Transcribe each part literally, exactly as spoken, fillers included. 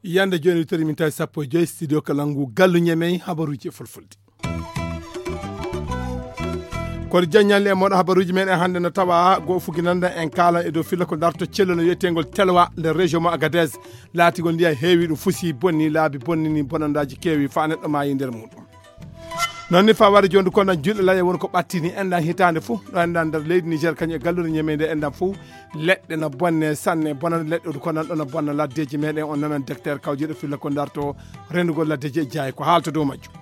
Yande jooni, tori min tawi sappo e joyi studio Kalangu, gallu ñemey habaruuji e fulfulde. Kono jaññalle e moɗo habaruuji men e hannde no tawa go fuginanda en kaalan e dow filla ko darto cello no wiyeteengol Telwa nder région mo Agadez. Laatigol ndiyam heewi, ɗum fusi, bonni laabi, bonnini bonandaaji keewi, faa neɗɗo maayi nder muɗum. Noon ni faa wari jooni ko nan julɗe laye woni ko ɓattini enɗan hitaande fof ɗo enɗan nder leydi Niger kañum e galluure ñemeende enɗan fof. Leɗɗe no bonne sanne, bonande leɗɗe ɗo ko nan ɗo no bonna laddeeji meɗen. On nanan docteur kawjiiɗo filla ko darto rendugol laddeeji e jaayi ko haalta dow majjum.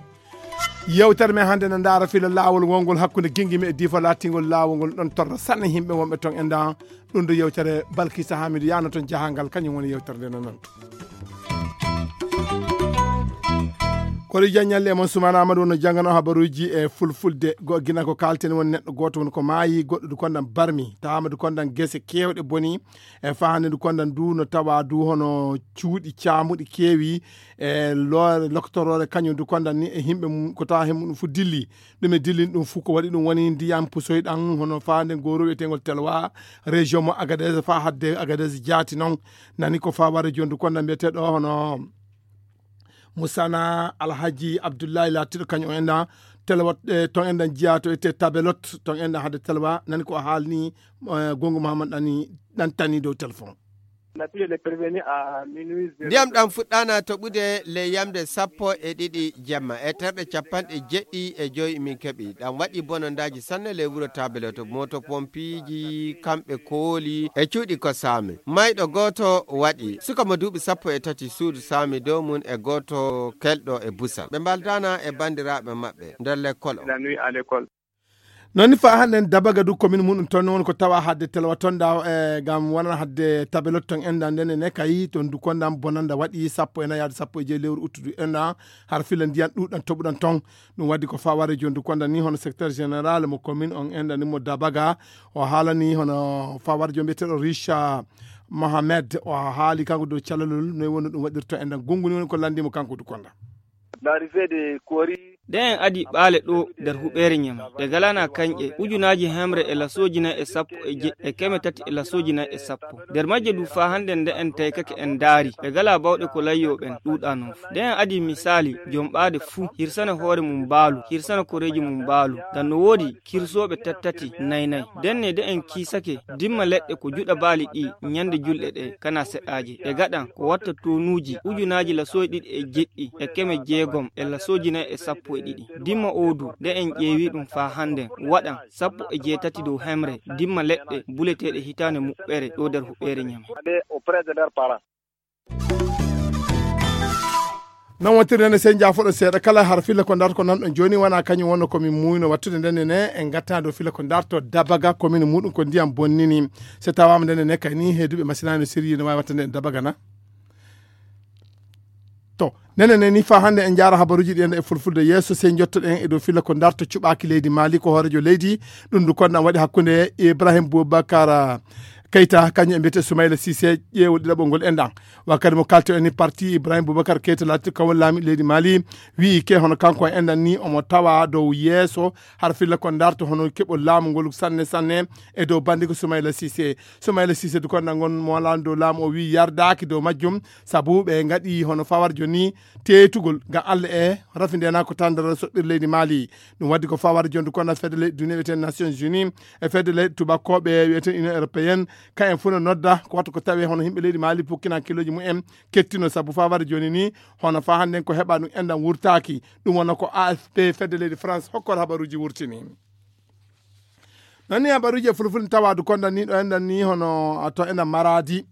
Yewtere men hannde no ndaara filo laawol wongol hakkunde Gingimi e Difa, laatingol laawol ngol ɗon torra sanne yimɓe wonɓe ton e ndan. Ɗum ɗo yewtere Balkisa Hamidu Yano ton jahangal, kañum woni yewtere nde no nantu. Koɗo jaññalle e mon Sumana Amadou no janngano habaruuji e fulfulde. Go gina ko kalten woni neɗɗo gooto woni ko maayi, goɗɗo du kondan barmi, tawa Amadou kondan gese keewɗe boni, e fahande du kondan du no tawa du hono cuuɗi caamuɗi keewi, e loore loktoroore kañum du kondan ni e yimɓe mum ko tawa hemum ɗum fu dilli. Ɗum e dillin ɗum fu ko waɗi ɗum woni ndiyam pusoy ɗan hono fahande ngoro wiyeteengol Telwa, région mo Agadez, fa hadde Agadez jaati noon. Nani ko fa wari jooni du kondan mbiyeteɗo hono Musana Alhaji Abdullahi laatiɗo kañum o enɗan Telwa, eh, ton enɗan jiya to ete Tabelot, ton enɗan hade Telwa, nani ko o haalni, eh, Gongo Muhammad ɗani ɗan tani dow téléphone. Ndiyam ɗam fuɗɗaana toɓude ley yamde sappo e ɗiɗi jemma e terɗe capanɗe jeɗɗi e joyi min keɓi. Ɗam waɗi bonondaaji sanne ley wuro Tabeloto. Mooto pompiiji kamɓe kooli e cuuɗi ko saami. Mayɗo gooto waɗi. Suka mo duuɓi sappo e tati suudu saami dow mum e gooto kelɗo e busal. Ɓe mbaldaana e banndiraaɓe maɓɓe nder lekkol o. Noon ni fa hannde en dabaga du commune muɗum toon woni ko tawa hadde Telwa toon da, e gam wonana hadde Tabelot toon enɗan nden ne kay toon du kondan bonanda waɗi sappo e nayi yaade sappo e joyi lewru uttudu enɗan har fila ndiyan ɗuɗan toɓuɗan toon. Ɗum waddi ko fa wari jooni du kondan ni hono secteur général mo commune on enɗan ni mo dabaga o haalani hono fa wari jooni mbiyeteɗo Richa Mohamed o haali kanko dow calalol noy woni ɗum waɗirta enɗan gungu ni woni ko landi mo kanko du kondan. Ɗe en adi ɓaale ɗo nder huɓeere ñama ɗe galana kañƴe ujunaaji hemre e lasooji nayi e sappo e jeɗɗi e keme tati e lasooji nayi e sappo. Nder majje du faa hannde nde en taykake en ndaari ɓe gala bawɗe ko layyo ɓen ɗuuɗa noon fu. Nde en adi misaali joom ɓaade fuu hirsana hoore mum mbaalu hirsana koreeji mum mbaalu. Ngam no woodi kirsooɓe tattati nayi nayi. Ndenne de en kiisake dimma leɗɗe ko juɗa baali ɗi ñande julɗe ɗe kana seɗɗaaje. Ɓe gaɗan ko watta tonuuji ujunaaji lasooji ɗiɗi e jeɗɗi e keme jeegom e lasooji nayi e sappo e ɗiɗi. Dimma oo du, nde en ƴeewi ɗum faa hannden, waɗan sappo e jeetati dow hemre dimma leɗɗe buleteeɗe hitaande muɓɓere ɗo nder huɓeere ñame. Non wontirde nde sen jaafoɗo seeɗa kala har filla ko darto ko nanɗon jooni wona kañum wonno komin muuyno wattude ndenne ne en gattana dow filla ko darto dabaga komin muɗum ko ndiyam bonnini. So tawama ndenne ne kay ni heeduɓe masinani no siryi no wawi wattande en dabaga na. To nene ne ni fa hannde en jaara habaruuji ɗi enda e fulfulde yeeso sey jottoɗen e dow filla ko darto cuɓaaki leydi Mali ko hoorejo leydi. Ɗum du konɗam waɗi hakkunde Ibrahim Boubacar Keita kañum e mbiyete Soumaïla Cissé ƴeewol ɗiɗaɓol ngol enɗan. Wakkati mo kalto en ni parti Ibrahim Boubacar Keita laati kawol laami leydi Mali wi'i ke hono kanko e enɗan ni omo tawa dow yeeso har filla ko darto hono keɓol laamu ngol sanne sanne e dow bandi ko Soumaïla Cissé. Soumaïla Cissé du konɗam ngon mo laani dow laamu o wi'i yardaaki dow majjum sabu ɓe ngaɗi hono fawarjo ni teetugol ngam Allah e rafi nde na ko tandara soɓɓir leydi Mali. Ɗum waddi ko fawar jondu kona fedde leyɗe duniya wiyeten Nations Unies e fedde leyɗe tubakkoɓe wiyeten Union Européenne. Ka en fof no nodda ko watta ko tawe hono yimɓe leydi Mali pukkina kiloji mumen kettino sabu fawar joni ni hono fa hannden ko heɓa ɗum enɗam wurtaki. Ɗum wona ko A F P fedde leydi France hokkor habaruji wurtini. Noon ni habaruuji e fulfulde tawa du kondan ni ɗo enɗan ni hono to enɗan maraadi.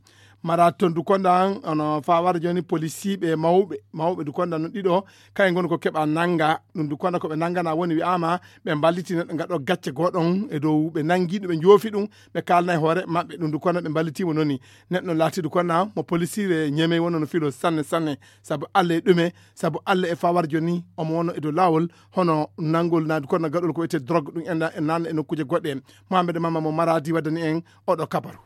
Maraadi toon du kondan hono fa wara jooni polisiiɓe mawɓe mawɓe du kondan no ɗiɗo kayen ngoni ko keɓa nannga. Ɗum du kondan ko ɓe nanngana woni wi'aama ɓe mballiti neɗɗo ngaɗo gacce gooɗon e dow ɓe nanngi ɗum ɓe njoofi ɗum ɓe kaalna e hoore maɓɓe. Ɗum du kondan ɓe mballitiimo noon ni neɗɗo laati du kondan mo polisiire ñemey wonno no filo sanne sanne. Sabu Allah e ɗume? Sabu Allah e fa wara jooni omo wonno e dow laawol hono nanngol naadu kono gaɗol ko wiyetee drogue ɗum enɗan e nanna e nokkuuje goɗɗe. Mohamed Mama mo Maradi waddani en oɗo kabaru.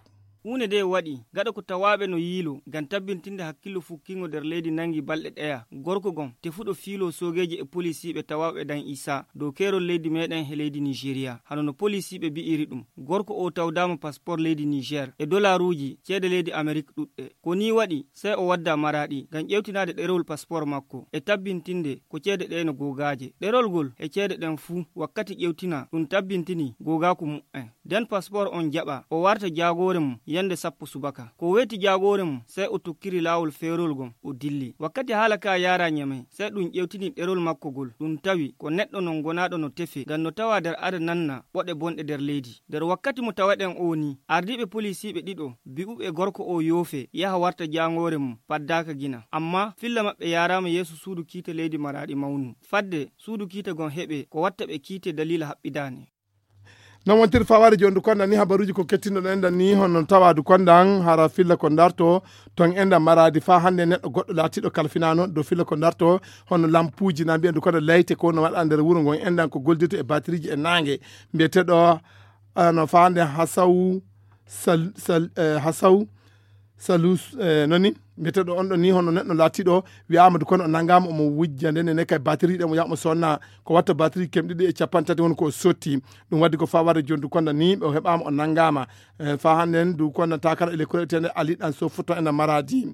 Huunde nde waɗi gaɗa ko tawaaɓe no yiiloo ngam tabbintinde hakkillo fukkiingo nder leydi nanngi balɗe ɗeya. Gorko gom tefuɗo fiiloo soogeeji e polisiiɓe tawaaɓe ɗan Isaa dow keerol leydi meeɗen he leydi Niijeriya. Hano no polisiiɓe bi'iri ɗum, gorko o tawdaama paspoor leydi Niijer e dolaaruuji ceede leydi Amerik ɗuɗɗe. Ko nii waɗi, sey o wadda Maraaɗi ngam ƴeewtinaade ɗerewol paspoor makko e tabbintinde ko ceede ɗee no googaaje. Ɗerol ngol e ceede ɗen fuu wakkati ƴeewtina ɗum tabbintini googaaku mu'en. Nden paspoor on jaɓa, o warta jaagoore mum yande sappo subaka. Ko weeti jaagoore mum, sey o tokkiri laawol feerol ngon, o dilli. Wakkati haala ka yaara Ñamey, sey ɗum ƴewtini ɗerol makko ngol. Ɗum tawi ko neɗɗo non gonaaɗo no tefe, ngam no tawa nder ada nanna ɓoɗe bonɗe nder leydi. Nder wakkati mo tawaɗen oo nii, ardiiɓe polisiiɓe ɗiɗo, bi'uɓe gorko oo yoofe, yaha warta jaangoore mum, paddaaka gina. Ammaa filla maɓɓe yaaraama yeeso suudu kiite leydi Maraaɗi mawnu. Fadde suudu kiite ngon heɓe, ko watta ɓe kiite daliila haɓɓidaani. Non wontiri fawaade jooni ndu konda ni habaruuji ko kettinɗo ɗen ɗan ni hono tawa ndu kondan hara filla ko darto ton enda Maradi fa hannde neɗɗo goɗɗo laatiiɗo kalfinaano dow filla ko darto hono lampuuji na mbiya ndu konda layte ko no waɗa nder wuro ngon endan ko goldirta e batiriiji e naange mbiyeteɗo ano fa hannde hasaw sal, sal, eh, hasaw salus eh, noni mbiyeteɗo on ɗo ni hono neɗɗo laatiiɗo wiyaama du kono o nanngaama omo wujja nden ne kay batiri ɗen o yaama sonna ko watta batiri kemɗiɗi e capanɗe tati woni ko o sotti. Ɗum waddi ko fa warde joni du konda ni o heɓaama o nanngaama. Eh, fa hannden du konda takara e lekkoreteende ali ɗan so futa ena Maradi.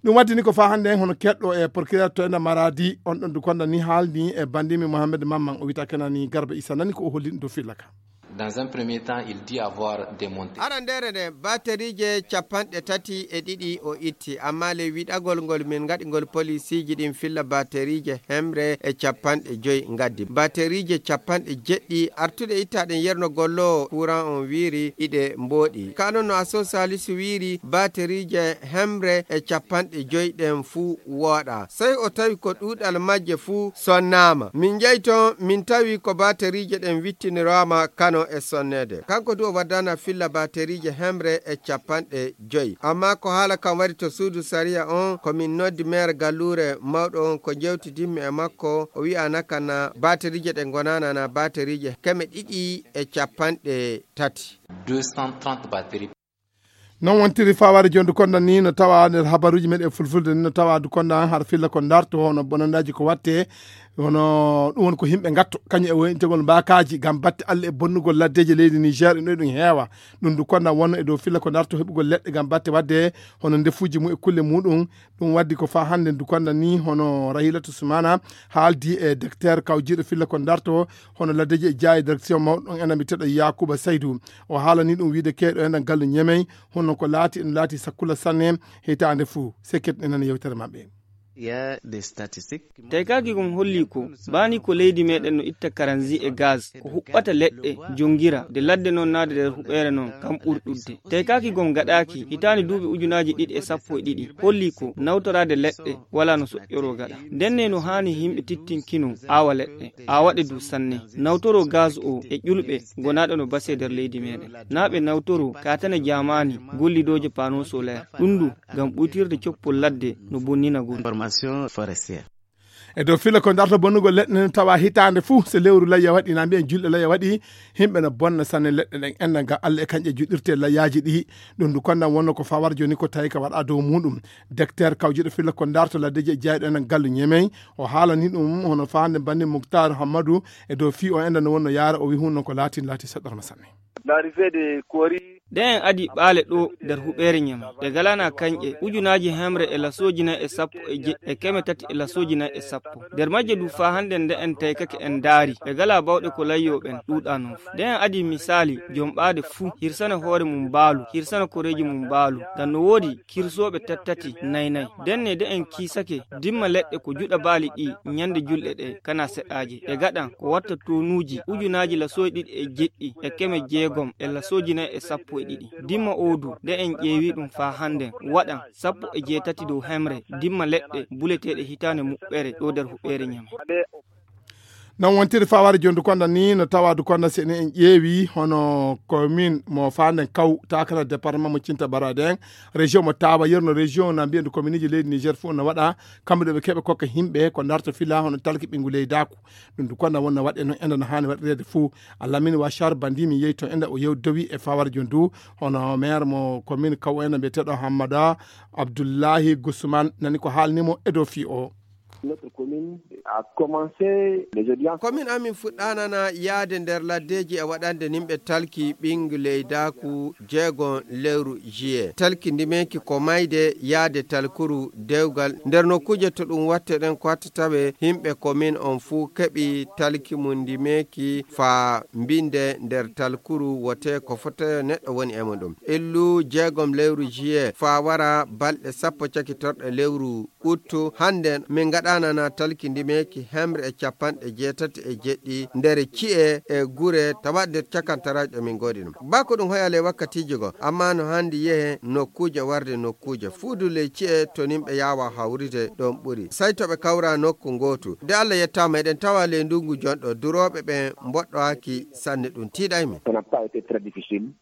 Ɗum waddi ni ko fa hannden hono keɗɗo e procureur to ena Maradi on ɗon du konda ni haalni e bandimi Mohamed Mamman o wita kenani Garba Issa nani ko o holli ɗum to filla ka. Dans un premier temps, il dit avoir démonté. Arandere nde baterije capanɗe tati e ɗiɗi o itti, amma ley wiɗagol ngol min ngaɗi ngol polisiji ɗin filla baterije hemre e capanɗe joyi ngaddi baterije capanɗe jeɗɗi artuɗe ittaɗen yerno gollowo courant on wiiri iɗe mboɗi. Kanon no aso salisu wiiri baterije hemre e capanɗe joyi ɗen fuu wooɗa. Sey o tawi ko ɗuuɗal majje fuu sonnaama. Min njahi ton, min tawi ko bateriije ɗen wittiniraama kano e sonneede. Kanko du o waddana filla bateriije hemre e capanɗe joyi. Amma ko haala kan wari to suudu sariya on, ko min noddi meer galluure mawɗo on, ko njewtidimmi e makko, o wi'ana kana bateriije ɗen ngonaana na bateriije keme ɗiɗi e capanɗe tati. Deux cent trente batteries. Non wontiri fawaade joni du konda ni no tawa nder habaruuji meɗen fulfulde ni no tawa du konda har filla ko darto hono bonandaji ko watte hono ɗum woni ko yimɓe gatto kañum e woyintegol mbakaji ngam batte allah e bonnugol laddeji leydi niger ino ɗum heewa. Ɗum du konda wonno e dow filla ko darto heɓugol leɗɗe ngam batte wadde hono ndefuji mum e kulle muɗum. Ɗum waddi ko fa hannde du konda ni hono rahilatu sumana haaldi e docteur kawjiiɗo filla ko darto hono laddeji e jaayi direction mawɗo ɗon ena mbiyeteɗo yakuba saydu. O haalani ɗum wiide keeɗo ena gallu ñemey hono ko laati eno laati sakkula sanne. Hitaande fuu sekket enen yewtere maɓɓe. Taykaaki gom holli ko baani ko leydi meɗen no itta karanzi e gaz ko huɓɓata leɗɗe jongira de ladde noon naade nder huɓeere noon kam ɓurɗudde. Taykaaki gom gaɗaaki hitaani duuɓi ujunaaji ɗiɗi e sappo e ɗiɗi holli ko nawtoraade leɗɗe wala no soƴƴoroo gaɗa. Ndenne no haani yimɓe tittinkino aawa leɗɗe, aawaɗe du sanne, nawtoroo gaz o e ƴulɓe gonaaɗo no base nder leydi meɗen. Naa ɓe nawtoroo kaatane jaamaani gollidooje panneau solaire. Ɗum du ngam ɓuytirde coppol ladde no bonnina guri. E dow fila ko darto bonnugol leɗɗe nden tawa hitaande fuu so lewru layya waɗi na mbiyen julɗe layya waɗi. Yimɓe no bonna sanne leɗɗe ɗen enna ngam allah e kanƴe juɗirte layyaaji ɗi. Ɗum du kondan wonno ko fawar joni ko tawi ka waɗa dow muɗum. Docteur kawjuɗo fila ko darto laddeji e jeyɗo enen gallu ñemey. O haalani ɗum hono faande banni muktar hammadu e dow fii o enɗa no wonno yaara o wi hunno ko laatin laati seɗɗorma sanne. L'arrivée de Kori. Nde en adi ɓaale ɗo nder huɓeere ñama ɓe galana kanƴe ujunaaji hemre e lasooji nayi e sappo e jeɗɗi e keme tati e lasooji nayi e sappo. Nder majje du faa hannde nde en taykake en ndaari ɓe gala bawɗe ko layyo ɓen ɗuuɗa non. Nde en adi misaali jom ɓaade fuu hirsana hoore mum mbaalu hirsana koreeji mum mbaalu ngam no woodi kirsooɓe tattati nayi nayi. Ndenne de en kiisake dimma leɗɗe ko juɗa baali ɗi ñande julɗe ɗe kana seɗɗaaje. Ɓe gaɗan ko watta tonuuji ujunaaji lasooji ɗiɗi e jeɗɗi e keme jeegom e lasooji nayi e sappo e ɗiɗi. Dimma oo du de en ƴeewi ɗum faa hannden waɗan sappo e jeetati dow hemre dimma leɗɗe buleteeɗe hitaande muɓɓere ɗo nder huɓeere ñame. Non wontiri fawaade jooni Dukonda ni, no tawa Dukonda, si en, en ƴeewi hono commune mo Fandène Kaw, tawa kala département mo Cinta Barade en, région mo Tawa Yerno, région na mbiyen du communeji leydi Niger fof no waɗa, kamɓe ɗo ɓe keɓa kokka yimɓe ko darto fila hono talki ɓinngu leydaku. Ɗum Dukonda wonna waɗe noon enda no haani waɗireede fof. Allah min wa Char Bandi mi yehi toon enda o yewdowi e fawaade jooni du hono maire mo commune Kaw en mbiyeteeɗo Hammada Abdullahi Gusman nani ko haalni mo e dow fii o. Notre commune a commencé les audiences. Komin amin fuɗɗaanana yaade nder laddeeji e waɗande nimɓe talki ɓinngu leydaaku jeegon lewru juillet. Talki ndimeeki ko mayde yaade talkuru dewgal nder nokkuuje to ɗum watte ɗen ko watta tawe yimɓe komin on fuu keɓi talki mum ndimeeki faa mbinde nder talkuru wote ko fota neɗɗo woni e muɗum. Illu jeegom lewru juillet faa wara balɗe sappo cakitorɗe lewru uttu, hannden min ngaɗaanana talki ndimeeki hemre e capanɗe jeetati e jeɗɗi nder ci'e e gure tawa nder cakantaraaji ɗo min ngoodi ɗum. Baa ko ɗum hoyale wakkatiiji goo, ammaa no hanndi yehe nokkuuje warde nokkuuje. Fuudu ley ci'e to nimɓe yaawa hawride ɗoon ɓuri. Sey to ɓe kawra nokku ngootu. Nde Allah yettaama eɗen tawa ley ndunngu jonɗo, durooɓe ɓen mboɗɗowaaki sanne ɗum tiiɗay min. Ça n'a pas été très difficile.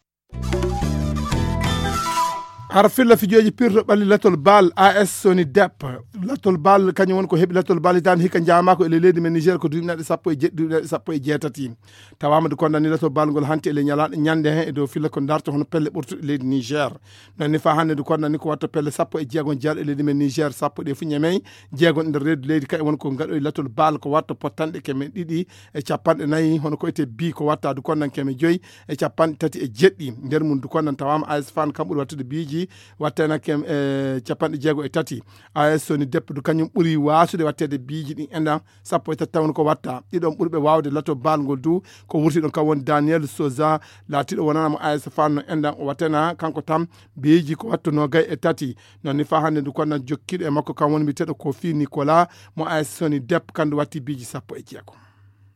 Har filla fijooji pirto ɓalli latol bal A S Soni Dep. Latol bal kañum woni ko heɓi latol bal hitaande hikka jaamaako e ley leydi men Niger ko duuɓi naɗi sappo e jeɗɗi, duuɓi naɗi sappo e jeetati. Tawaama du kondani latol bal ngol hanti e ley ñala-, ñande he e dow filla ko darto hono pelle ɓurtuɗe leydi Niger. Noon ni faa hannde du kondani ko watta pelle sappo e jeegom jeeɗo e leydi men Niger, sappo ɗe fu ñamey, jeegom nder reedu leydi kay woni ko ngaɗoy latol bal ko watta pottanɗe keme ɗiɗi e capanɗe nayi, hono ko ete bi ko watta du kondan keme joyi e capanɗe tati e jeɗɗi. Nder mum du kondan tawaama A S Fan kam ɓuri wattude biiji, wattena kem, e capanɗe jeego e tati. A S Soni Dep du kañum ɓuri waasude watteede biiji ɗin endan sappo e tati taw ko watta. Ɗiɗon ɓurɓe waawde lato bal ngol du ko wurti ɗon kam woni Daniel Souza, laatiiɗo wonana mo A S Fan no endan o wattena kanko tam biiji ko wattu noogay e tati. Noon ni faa hannde du kondan jokkiiɗo e makko kam woni mbiyeteeɗo Kofi Nicolas mo A S Soni Dep kandu watti biiji sappo e jeego.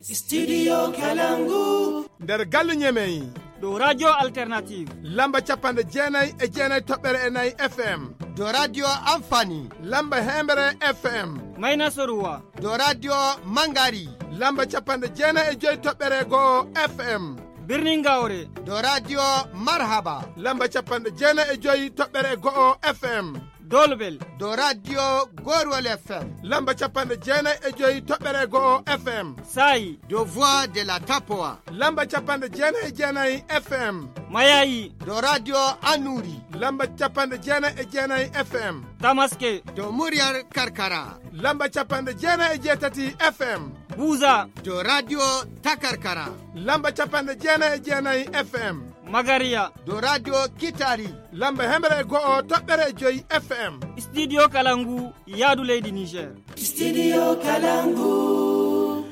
Studio Kalangu. Nder galle Ñemey. Ɗo Radio Alternative. Lamba capanɗe jeenay e jeenay toɓɓere e nayi F M. Do Radio Amfani. Lamba hemere F M. Mayna Soruwa. Do Radio Mangari. Lamba capanɗe jeenay e joy toɓɓere go'o F M. Birnin Gawre. Do Radio Marhaba. Lamba capanɗe jeenay e joy toɓɓere go'o F M. Dolbel. Do Radio Gorwol F M. Lamba capanɗe jeenay e joy toɓɓere go'o F M. Saayi. Do Voix de la Tapoa. Lamba capanɗe jeenay e jeenay F M. Mayayi. Do Radio Anuri. Lamba capanɗe jeenay e jeenay F M. Tamaske. Do Muryar Karkara. Lamba capanɗe jeenay e jeetati F M. Buza. Do Radio Takarkara. Lamba capanɗe jeenay e jeenay F M. Magariya. Do Radio Kitari. Lamba hemere e go'o toɓɓere e joy F M. Studio Kalangu, yaadu leydi Niger. Studio Kalangu.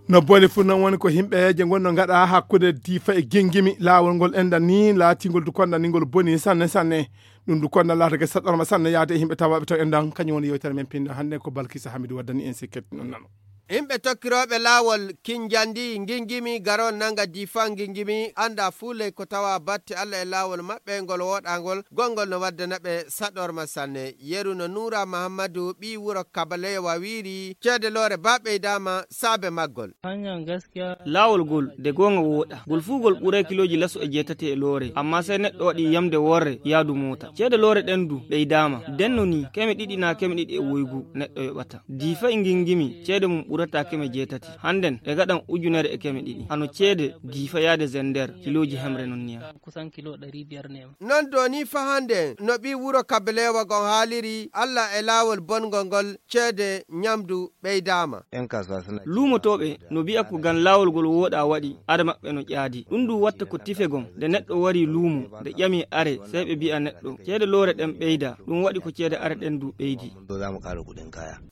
No boni fu noon woni ko yimɓe je ngonno ngaɗa hakkunde Difa e Gingimi. Laawol ngol enɗan ni laatingol du konɗan ni ngol boni sanne sanne. Ɗum du konɗan laatake saɗɗorma sanne yaade e yimɓe tawaaɓe to enɗan. Kañum woni yewtere men pinɗo hannde ko Balkisa Hamidu waddani en sikket non nano. Yimɓe tokkirooɓe laawol Kinjandi Gingimi garol nanga Difa Gingimi annda fuu ley ko tawa batte Allah e laawol maɓɓe ngol woɗangol gongol no waddana ɓe saɗorma sanne. Yeru no Nuura Mahammadu ɓii wuro Kabalewa wiiri ceede loore ba ɓeydaama saabe maggol. Laawol gol de goonga wooɗa. Gol fuu gol ɓuray kilooji laso e jeetati e loore, ammaa sey neɗɗo waɗi yamde worre yaadu moota. Ceede loore ɗen du ɓeydaama. Denno ni keme ɗiɗi naa keme ɗiɗi e woygu neɗɗo yoɓata. Difa e Gingimi ceede mum ɓurata keme jeetati. Hannden ɗe ngaɗan ujunere e keme ɗiɗi. Hano ceede Difa yaade Zender kilooji hemre non niya. Kusan kilo ɗari biyar ne. Non do ni fa hannde no ɓii wuro Kabalewa gon haaliri Allah e laawol bongol ngol ceede ñamdu ɓeydaama. Luumotooɓe no mbi'a ko ngam laawol ngol wooɗaa waɗi, ada maɓɓe no ƴaadi. Ɗum ɗum watta ko tife gom, nde neɗɗo warii luumo, nde ƴamii are, sey ɓe mbi'a neɗɗo, ceede loore ɗen ɓeydaa, ɗum waɗi ko ceede are ɗen du ɓeydii.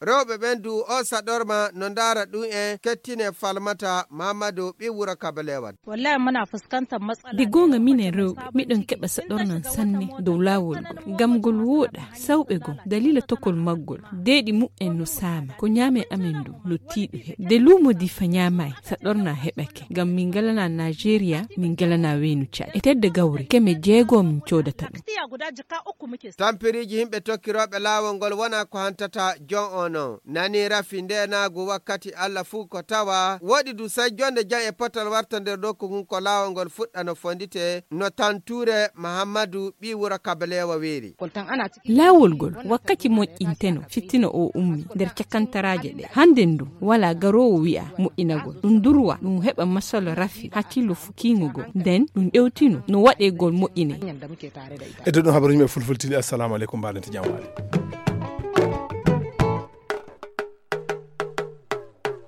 Rewɓe ɓen du o saɗorma no ndaara ɗum en kettine Falmata Maamadu ɓii wuro Kabalewa. Wallahi muna fuskantar matsala. Nde goonga minen rewɓe, miɗon keɓa saɗornan sanne dow laawol ngol. Ngam ngol wooɗaa, sawɓe gom, daliila tokol maggol, deeɗi mu'en no saama, ko ñaamen amen ndu no tiiɗu heɓa. Nde luumo Difa ñaamaay, saɗorna heɓake. Ngam min ngalanaa Naajeeriya, min ngalanaa weynu Caad. E tedde gawri, keme jeego min coodata ɗum. Tampiriiji yimɓe tokkirooɓe laawol ngol wonaa ko hantata jon on non. Nani rafi ndeenaagu Kati allah fuu ko tawa woɗi du sai jonde jam e potal warta nder ɗo ko ngun ko laawol ngol fuɗɗa no fondite no tantuure mahammadu ɓi wuro kabaleewa weeri. Laawol ngol wakkati moƴƴinteno fitina o ummi nder cakantaraaje ɗe hannden du walaa garoowo wi'a moƴƴinagol ɗum durwa ɗum heɓa masalo rafi hakkillo fukiingo goo nden ɗum ɗewtino no waɗeegol moƴƴinee. Eddo ɗum habaruji men fulfultini assalamu aleykum mbaɗante jam waali.